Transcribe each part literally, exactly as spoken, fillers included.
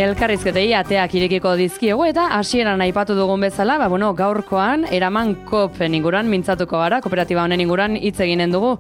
Elkarrizketei ateak irekiko dizkiego eta hasieran aipatu dugun bezala, ba, bueno, gaurkoan eraman kopen inguruan mintzatuko gara, kooperatiba honen inguruan hitz eginen dugu.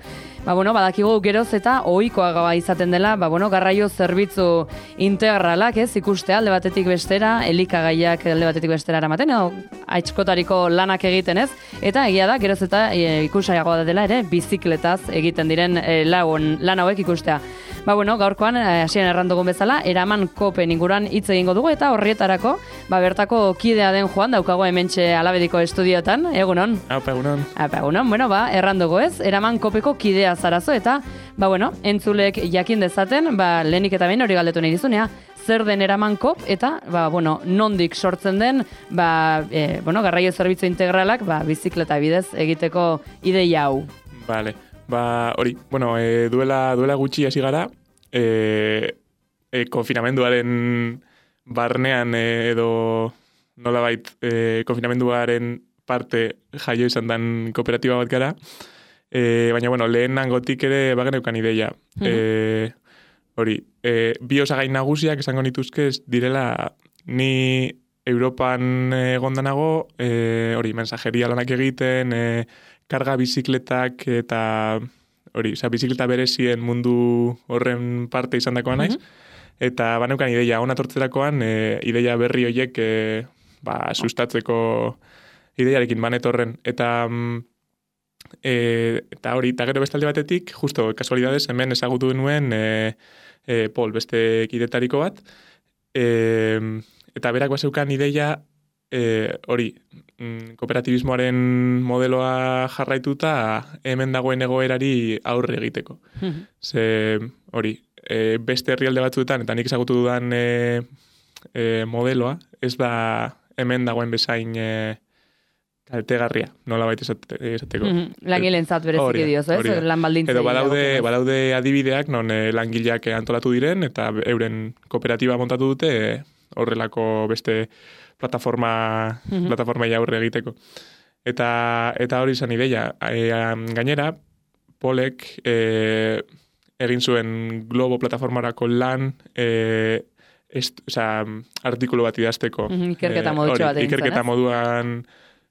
Ba, bueno, badakigu geroz eta ohikoa izaten dela, ba, bueno, garraio zerbitzu integralak, ez, ikustea alde batetik bestera, elikagaiak alde batetik bestera eramaten, edo aitskotariko lanak egiten, ez, eta egia da, geroz eta e, ikusaiagoa dela ere, bizikletaz egiten diren e, lagun, lan hauek ikustea. Ba, bueno, gaurkoan, hasieran errandugun bezala, eraman kopen inguruan hitz egingo dugu, eta horrietarako, ba, bertako kidea den Juan, daukago hementxe Alabediko estudiotan, egunon? Apa, egunon. Apa, egunon, bueno, ba, errandugu ez, eraman kopeko kidea zarazo, eta, ba, bueno, entzulek jakin dezaten, ba, lehenik eta behin hori galdetu nahi dizunea, zer den eraman kop, eta, ba, bueno, nondik sortzen den, ba, e, bueno, garraio zerbitzu integralak, ba, bizikleta bidez egiteko ideia hau. Vale. Ba, hori, bueno, e, duela, duela gutxi hasi gara, e, e, konfinamenduaren barnean e, edo nolabait e, konfinamenduaren parte jaio izan den kooperatiba bat gara, e, baina, bueno, lehen hangotik ere bageneukan ideia. Mm-hmm. E, hori, e, bi osagai nagusiak esango nituzke direla ni Europan egondanago, e, hori, mensajeria lanak egiten, e, karga bizikletak eta hori, oza, bizikleta berezien mundu horren parte izan dakoa naiz. Mm-hmm. Eta baneukan ideia, hona tortzerakoan, e, ideia berri horiek e, ba, sustatzeko ideiarekin banetorren. Eta, e, eta hori, eta gero bestalde batetik, justo, kasualidades, hemen ezagutu nuen e, e, Pol, beste kidetariko bat. E, eta berak bazeukan ideia, E, hori, mm, kooperatibismoaren modeloa jarraituta hemen dagoen egoerari aurre egiteko. Mm-hmm. Ze, hori, e, beste herrialde batzuetan, eta nik ezagutu dudan e, e, modeloa, ez da hemen dagoen bezain e, kaltegarria, nola baita esateko. Mm-hmm. Langilentzat bereziki dioz, ez? Lan baldintzei. Edo badaude, badaude adibideak, non e, langileak antolatu diren, eta euren kooperatiba montatu dute e, horrelako beste plataforma mm-hmm. plataforma aurre egiteko. Eta eta hori izan ideia. E, gainera, Polek e, egin zuen Globo plataformarako lan e, est, oza, artikulu bat idazteko. Mm-hmm. Ikerketa modutxo bat egin zen, Ikerketa moduan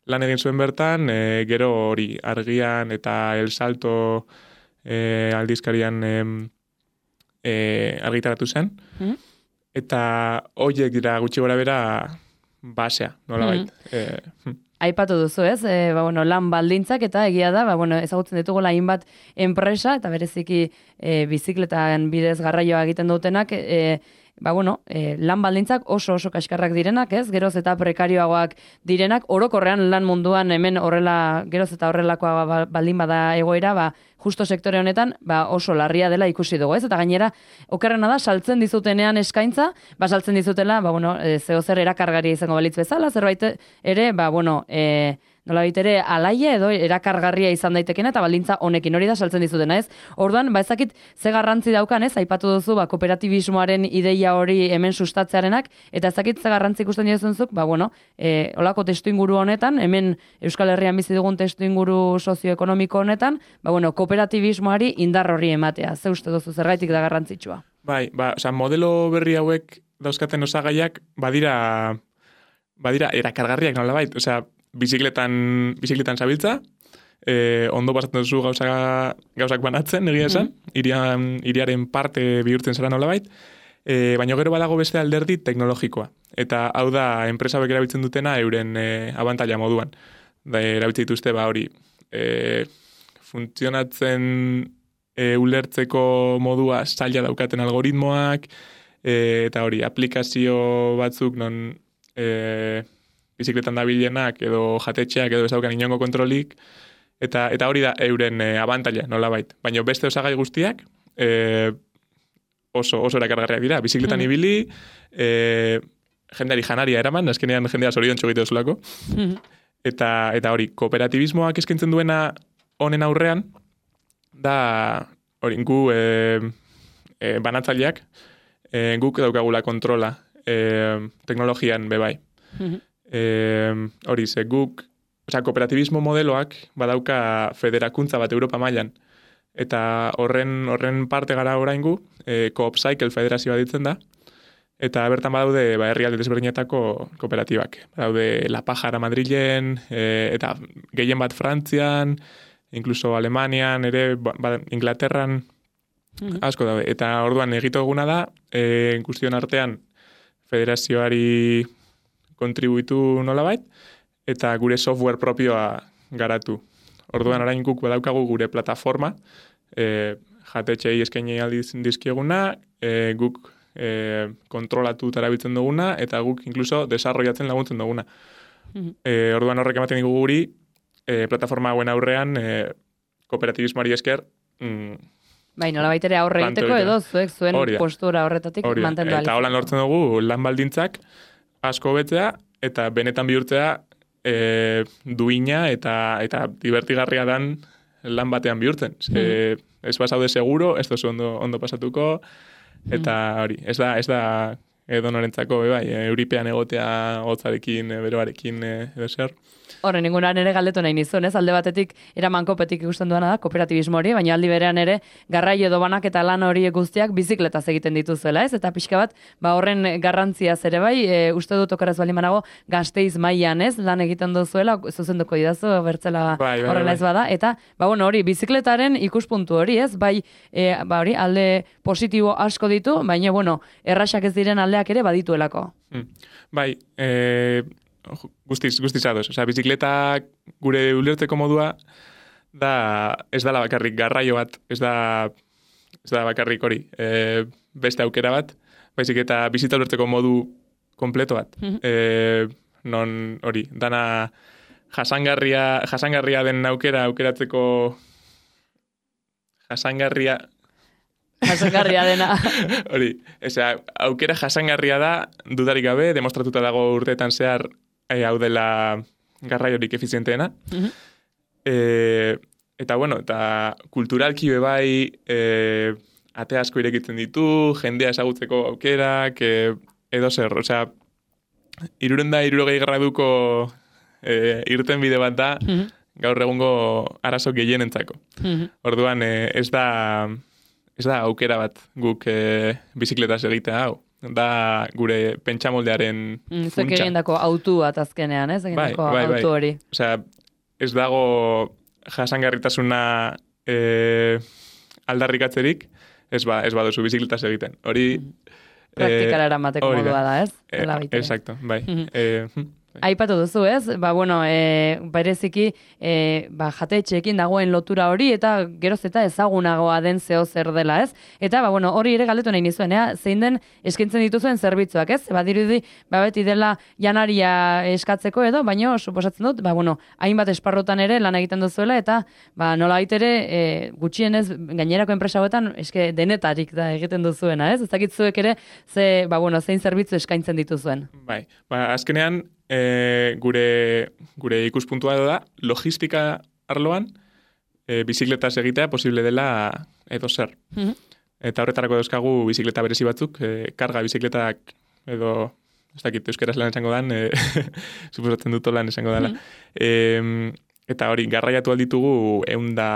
lan egin zuen bertan, e, gero hori Argian eta El Salto e, aldizkarian e, e, argitaratu zen. Mm-hmm. Eta horiek dira gutxi gora bera basea, nola bait. Mm. E, Aipatu duzu, ez? E, ba, bueno, lan baldintzak eta egia da, ba, bueno, ezagutzen ditugu hainbat enpresa, eta bereziki e, bizikletan bidez garraioa egiten dutenak, e, ba, bueno, e, lan baldintzak oso oso kaskarrak direnak, ez? Geroz eta prekarioagoak direnak, orokorrean lan munduan hemen horrela, geroz eta horrelakoa baldin bada egoera, ba, justo sektore honetan, ba, oso larria dela ikusi dugu, ez? Eta gainera, okerrena da, saltzen dizutenean eskaintza, ba, saltzen dizutela, ba, bueno, e, zeo zer erakargaria izango balitz bezala, zerbait ere, ba, bueno, e, nola ere alaia edo erakargarria izan daitekena eta baldintza honekin hori da saltzen dizutena, ez? Orduan, ba, ezakit ze garrantzi daukan, ez? Aipatu duzu, ba, kooperatibismoaren ideia hori hemen sustatzearenak, eta ezakit ze garrantzi ikusten dizunzuk, ba, bueno, e, olako testu inguru honetan, hemen Euskal Herrian bizi dugun testu inguru sozioekonomiko honetan, ba, bueno, kooperatibismoari indar horri ematea. Ze uste duzu zergaitik da garrantzitsua? Bai, ba, oza, modelo berri hauek dauzkaten osagaiak badira badira erakargarriak nolabait, osea, bizikletan bizikletan zabiltza, e, ondo pasatzen duzu gauza, gauzak banatzen, egia esan, mm. irian, iriaren parte bihurtzen zara nolabait, e, baina gero badago beste alderdi teknologikoa. Eta hau da, enpresa hauek erabiltzen dutena euren e, abantaila moduan. Da, erabiltzen dituzte, ba hori, e, funtzionatzen e, ulertzeko modua zaila daukaten algoritmoak, e, eta hori, aplikazio batzuk non e, bizikletan dabilenak edo jatetxeak edo ezaukan inongo kontrolik, eta eta hori da euren e, abantaila, nolabait. Baina beste osagai guztiak e, oso, oso erakargarriak dira. Bizikletan mm. ibili, e, jendeari janaria eraman, azkenean jendea zorion txogite duzulako. Mm. Eta, eta hori, kooperatibismoak eskaintzen duena honen aurrean, da hori, gu e, e, banatzaileak, e, guk daukagula kontrola e, teknologian bebai. Mm-hmm. Hori, ze guk, osea, kooperatibismo modeloak badauka federakuntza bat Europa mailan, eta horren horren parte gara oraingu, e, Coop Cycle federazioa ditzen da, Eta bertan badaude ba, herrialde desberdinetako kooperatibak. Badaude La Pajara Madrilen, e, eta gehien bat Frantzian, inkluso Alemanian, ere ba, Inglaterran, mm-hmm. asko daude. Eta orduan egito eguna da, e, guztion artean federazioari kontribuitu nolabait, eta gure software propioa garatu. Orduan orain guk badaukagu gure plataforma, e, jatetxei eskaini aldiz dizkieguna, e, guk e, kontrolatu tarabiltzen duguna, eta guk inkluso desarrollatzen laguntzen duguna. Mm-hmm. E, orduan horrek ematen digu guri, e, plataforma hauen aurrean, e, kooperatibismoari esker, mm, bai, nola baitere aurre egiteko edo zuek zuen Oria. Postura horretatik Oria. mantendu Eta holan lortzen dugu lan baldintzak asko betzea, eta benetan bihurtzea e, duina eta eta divertigarria dan lan batean bihurtzen. Ze, mm-hmm. Ez pasaude seguro, ez dozu ondo, ondo pasatuko, eta hori, ez da, ez da edo norentzako, bai, euripean egotea hotzarekin, beroarekin, edo zer. Horre, ningunan ere galdetu nahi nizun, ez? Alde batetik, eraman kopetik ikusten duena da, kooperatibismo hori, baina aldi berean ere, garraio edo banak eta lan hori guztiak bizikletaz egiten dituzuela, ez? Eta pixka bat, ba horren garrantzia zere bai, e, uste dut okeraz bali manago, Gasteiz mailan, ez? Lan egiten duzuela, zuzenduko idazu, bertzela bai, bai, horrela bai. Ez bada, eta, ba bueno, hori, bizikletaren ikuspuntu hori, ez? Bai, e, ba hori, alde positibo asko ditu, baina, bueno, erraxak ez diren aldeak ere badituelako. Hmm. Bai, e... Guztiz, guztiz ados. Osea, bizikleta gure ulertzeko modua da, ez dala bakarrik garraio bat, ez da, ez da bakarrik hori, e, beste aukera bat, baizik eta bizita ulertzeko modu kompleto bat. Mm-hmm. E, non hori, dana jasangarria, jasangarria den aukera aukeratzeko jasangarria jasangarria dena. Hori, osea, aukera jasangarria da, dudarik gabe, demostratuta dago urteetan zehar E, hau dela garraiorik efizienteena. Mm-hmm. E, eta, bueno, eta kulturalki bebai e, ate asko irekitzen ditu, jendea ezagutzeko aukerak, e, edo zer, osea, iruren da irurogei graduko e, irten bide bat da, mm-hmm. gaur egungo arazo gehienentzako. Mm-hmm. Orduan, e, ez da ez da aukera bat guk e, bizikletaz egitea hau. Da gure pentsamoldearen mm, funtsa. Zuek egindako autu bat azkenean, ez? Egindako bai, bai, autu hori. Bai. Osea, ez dago jasangarritasuna e, aldarrikatzerik, ez ba, ez baduzu bizikletaz egiten. Hori... Mm. Praktikara eramateko e, modua da, ez? E, exacto, bai. Mm-hmm. E, Aipatu duzu, ez? Ba, bueno, e, bereziki e, ba, jatetxeekin dagoen lotura hori eta geroz eta ezagunagoa den zeo zer dela, ez? Eta, ba, bueno, hori ere galdetu nahi nizuen, ea? Zein den eskaintzen dituzuen zerbitzuak, ez? Ba, dirudi, ba, beti dela janaria eskatzeko edo, baina suposatzen dut, ba, bueno, hainbat esparrotan ere lan egiten duzuela eta, ba, nola baitere, e, gutxienez, gainerako enpresa hauetan, eske denetarik da egiten duzuena, ez? Ez dakitzuek ere, ze, ba, bueno, zein zerbitzu eskaintzen dituzuen. Bai, ba, azkenean, E, gure, gure ikuspuntua da, logistika arloan e, bizikletaz egitea posible dela edo zer. Mm-hmm. Eta horretarako dauzkagu bizikleta berezi batzuk, e, karga bizikletak edo, ez dakit euskaraz lan esango dan, e, suposatzen dut lan esango dela. Mm-hmm. E, eta hori, garraiatu alditugu eunda,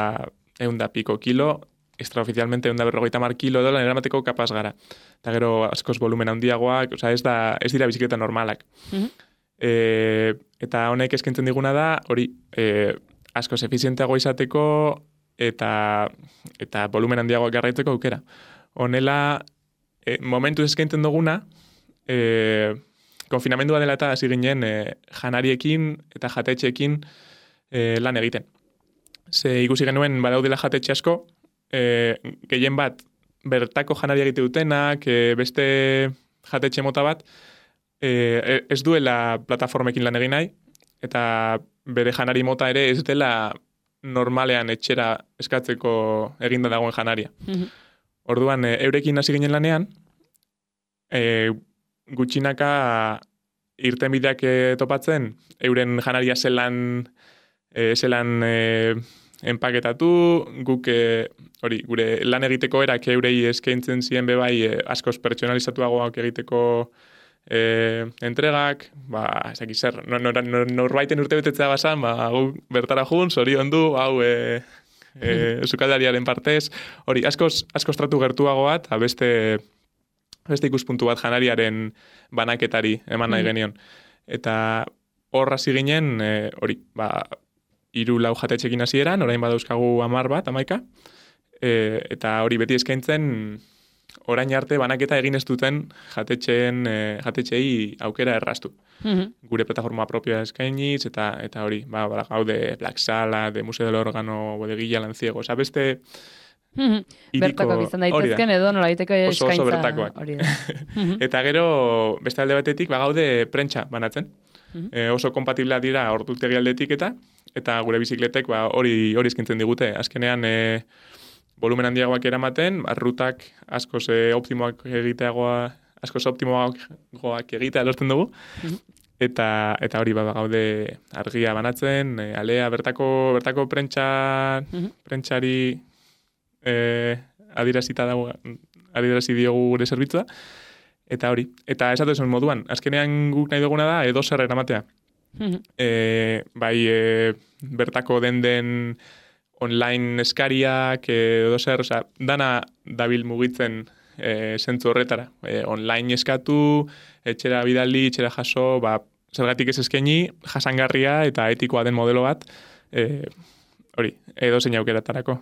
eunda piko kilo, extraoficialmente eunda berrogeita mar kilo dola eramateko kapaz gara. Eta gero askoz volumen handiagoak, oza, ez, da, ez dira bizikleta normalak. Mm-hmm. E, eta honek eskentzen diguna da, hori, e, askoz efizienteago izateko eta eta volumen handiagoak garraitzeko aukera. Honela, e, momentu eskentzen duguna, e, konfinamendua dela eta hasi ginen e, janariekin eta jatetxeekin e, lan egiten. Ze ikusi genuen badaudela jatetxe asko, e, gehien bat bertako janaria egite dutenak, e, beste jatetxe mota bat, E, ez duela plataformekin lan egin nahi, eta bere janari mota ere ez dela normalean etxera eskatzeko eginda dagoen janaria. Mm-hmm. Orduan, e, eurekin hasi ginen lanean, e, gutxinaka irtenbideak e, topatzen, euren janaria zelan, e, zelan e, enpaketatu, guk e, hori, gure lan egiteko erak eurei eskaintzen ziren bebai e, askoz pertsonalizatuagoak egiteko E, entregak, ba, ez dakit zer, norbaiten nor, nor, nor urte betetzea basan, ba, gu bertara jun, zorion du, hau e, e, zukaldariaren partez, hori, askoz, askoz tratu gertuago bat, beste, beste ikuspuntu bat janariaren banaketari eman nahi genion. Eta hor hasi ginen, e, hori, ba, hiru lau jatetxekin hasieran, orain badauzkagu hamar bat, hamaika, e, eta hori beti eskaintzen, orain arte banaketa egin ez duten jatetxeen, e, jatetxei aukera erraztu. Mhm. Gure plataforma propioa eskainiz, eta eta hori, ba, ba, gaude Black Sala, de Museo del Órgano, Bodeguilla, Lanciego, oza, beste... Mhm. Bertakoak izan daitezken edo nola daiteko eskaintza. Oso, oso bertakoak. Hori da. Eta gero, beste alde batetik, ba, gaude prentsa banatzen. Mhm. E, oso kompatibleak dira ordutegi aldetik eta eta gure bizikletek ba, hori hori eskintzen digute. Azkenean, e, volumen handiagoak eramaten, arrutak askoz e, optimoak egiteagoa, askoz optimoagoak egitea lortzen dugu. Mhm. Eta eta hori ba, gaude argia banatzen, e, alea bertako bertako prentsa Mhm. prentsari eh adierazita dago adierazi diogu gure zerbitzua. Eta hori, eta esatu esan moduan, azkenean guk nahi duguna da edo zer eramatea. Mhm. E, bai, e, bertako den den online eskariak, edo zer, oza, dana dabil mugitzen e, zentzu horretara. E, online eskatu, etxera bidali, etxera jaso, ba, zergatik ez eskaini, jasangarria eta etikoa den modelo bat, e, hori, edo zein aukeratarako.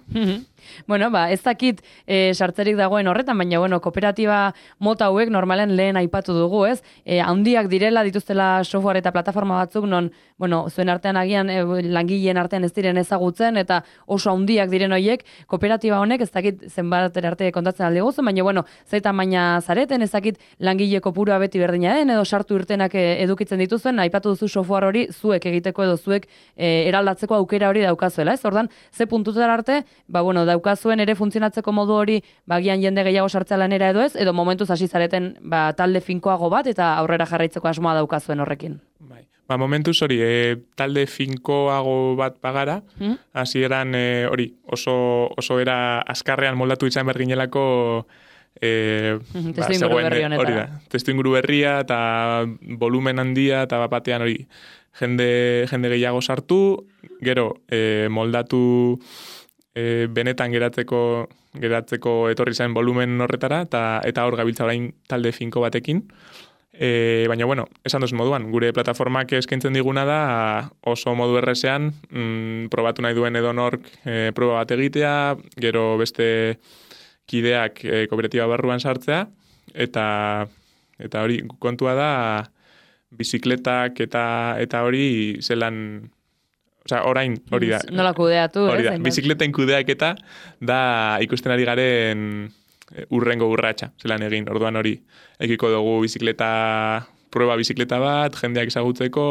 Bueno, ba, ez dakit e, sartzerik dagoen horretan, baina, bueno, kooperatiba mota hauek normalen lehen aipatu dugu, ez? E, handiak direla, dituztela software eta plataforma batzuk, non, bueno, zuen artean agian, e, langileen artean ez diren ezagutzen, eta oso handiak diren horiek, kooperatiba honek, ez dakit zenbat arte kontatzen alde guzu, baina, bueno, zaita maina zareten, ez dakit langile kopurua beti berdina den, edo sartu irtenak edukitzen dituzuen, aipatu duzu software hori zuek egiteko edo zuek e, eraldatzeko aukera hori daukazuela, ez? Ordan, ze puntutara arte, ba, bueno, daukazuen ere funtzionatzeko modu hori, bagian jende gehiago sartzea lanera edo ez, edo momentuz hasi zareten ba, talde finkoago bat eta aurrera jarraitzeko asmoa daukazuen horrekin. Bai. Ba, momentuz hori, e, talde finkoago bat bagara, Hmm? hasieran e, hori, oso, oso era azkarrean moldatu izan berginelako e, Testu inguru berri honetara. hori da, testu inguru berria eta volumen handia eta bat batean hori, jende, jende gehiago sartu, gero e, moldatu e, benetan geratzeko geratzeko etorri zen volumen horretara, eta eta hor gabiltza orain talde finko batekin. E, baina, bueno, esan duz moduan, gure plataformak eskaintzen diguna da oso modu errezean, mm, probatu nahi duen edonork e, proba bat egitea, gero beste kideak e, kooperatiba barruan sartzea, eta eta hori kontua da bizikletak eta eta hori zelan, osea, orain hori da. Nola kudeatu, hori ez? da, bizikleten kudeaketa da ikusten ari garen urrengo urratsa, zelan egin. Orduan hori, ekiko dugu bizikleta, prueba bizikleta bat, jendeak ezagutzeko,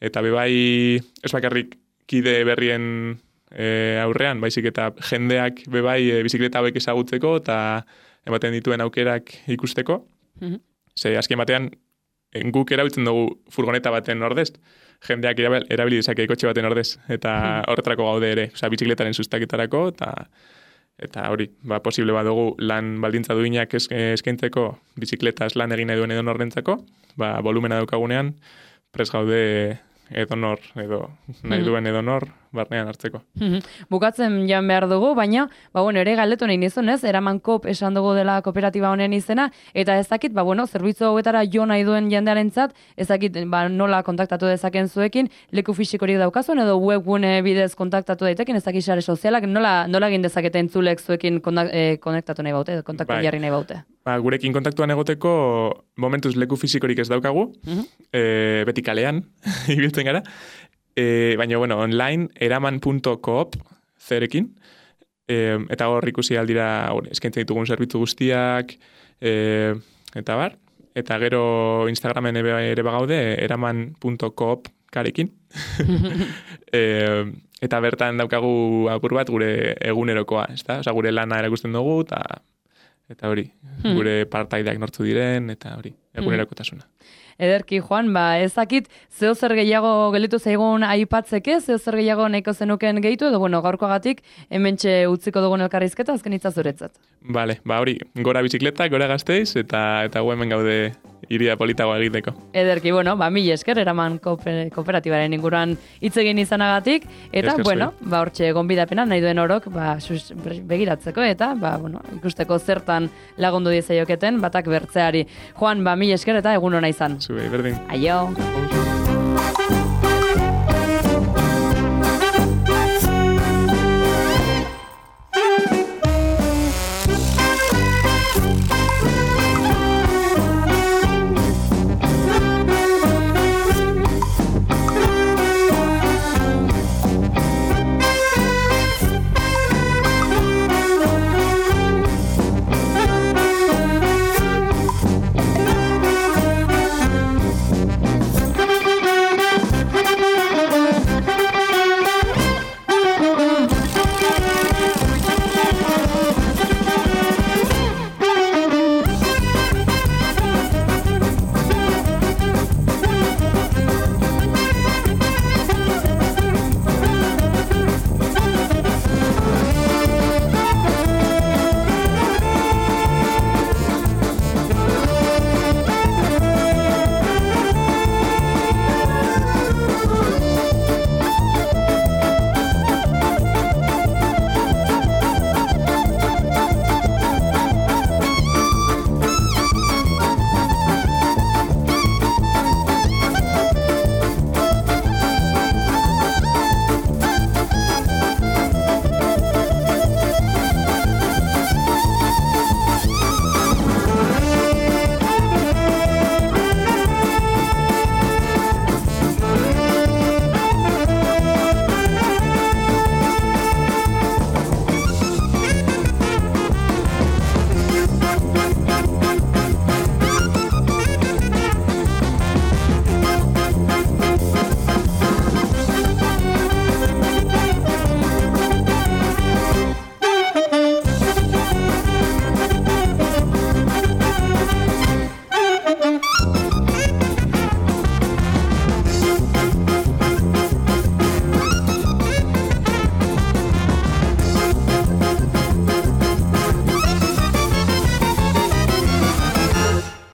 eta bebai, ez bakarrik kide berrien e, aurrean, baizik eta jendeak bebai e, bizikleta hauek ezagutzeko, eta ematen dituen aukerak ikusteko. Mhm. Ze, azken batean, guk erabiltzen dugu furgoneta baten ordez, jendeak erabili dezake kotxe baten ordez, eta horretarako gaude ere, osea, bizikletaren sustaketarako, eta eta hori, ba, posible badugu lan baldintza duinak eskaintzeko, bizikletaz lan egin nahi duen edo norrentzako, ba, volumena daukagunean, pres gaude edonor, edo nahi duen edonor, barnean hartzeko. Bukatzen jan behar dugu, baina, ba, bueno, ere galdetu nahi nizun, ez? Eraman Kop esan dugu dela kooperatiba honen izena, eta ez dakit, ba, bueno, zerbitzu hauetara jo nahi duen jendearentzat, ez dakit, ba, nola kontaktatu dezaken zuekin, leku fisikorik daukazuen, edo webgune bidez kontaktatu daiteken, ez dakit sare sozialak, nola, nola egin dezakete entzulek zuekin kontak, eh, konektatu nahi baute, kontaktu Bai. jarri nahi baute. Ba, gurekin kontaktuan egoteko, momentuz leku fisikorik ez daukagu, Mhm. e, beti kalean, ibiltzen gara, e, baina, bueno, online, eraman punto coop, zerekin, e, eta hor ikusi aldira, hor, eskaintzen ditugun zerbitzu guztiak, e, eta bar, eta gero Instagramen ere, ere bagaude, eraman punto coop karekin. e, eta bertan daukagu apur bat gure egunerokoa, ezta? Osea, gure lana erakusten dugu, eta eta hori, Hmm. gure partaideak nortzu diren, eta hori. egunerakotasuna. Ederki, Juan, ba, ezakit, zeo zer gehiago gelitu zaigun aipatzeke, zeo zer gehiago nahiko zenuken gehitu, edo, bueno, gaurkoagatik hementxe utziko dugun elkarrizketa, azken hitza zuretzat. Bale, ba hori, gora bizikleta, gora Gasteiz, eta eta gu hemen gaude iria politagoa egiteko. Ederki, bueno, ba, mil esker, eraman kooperatibaren inguruan hitz egin izanagatik, eta, Esker bueno, ba, hortxe gonbidapena, nahi duen orok, ba, sus, begiratzeko, eta, ba, bueno, ikusteko zertan lagundu diezaioketen, batak bertzeari. Juan, ba, mil esker, eta egun hona izan. Zube, berdin. Aio. Aio.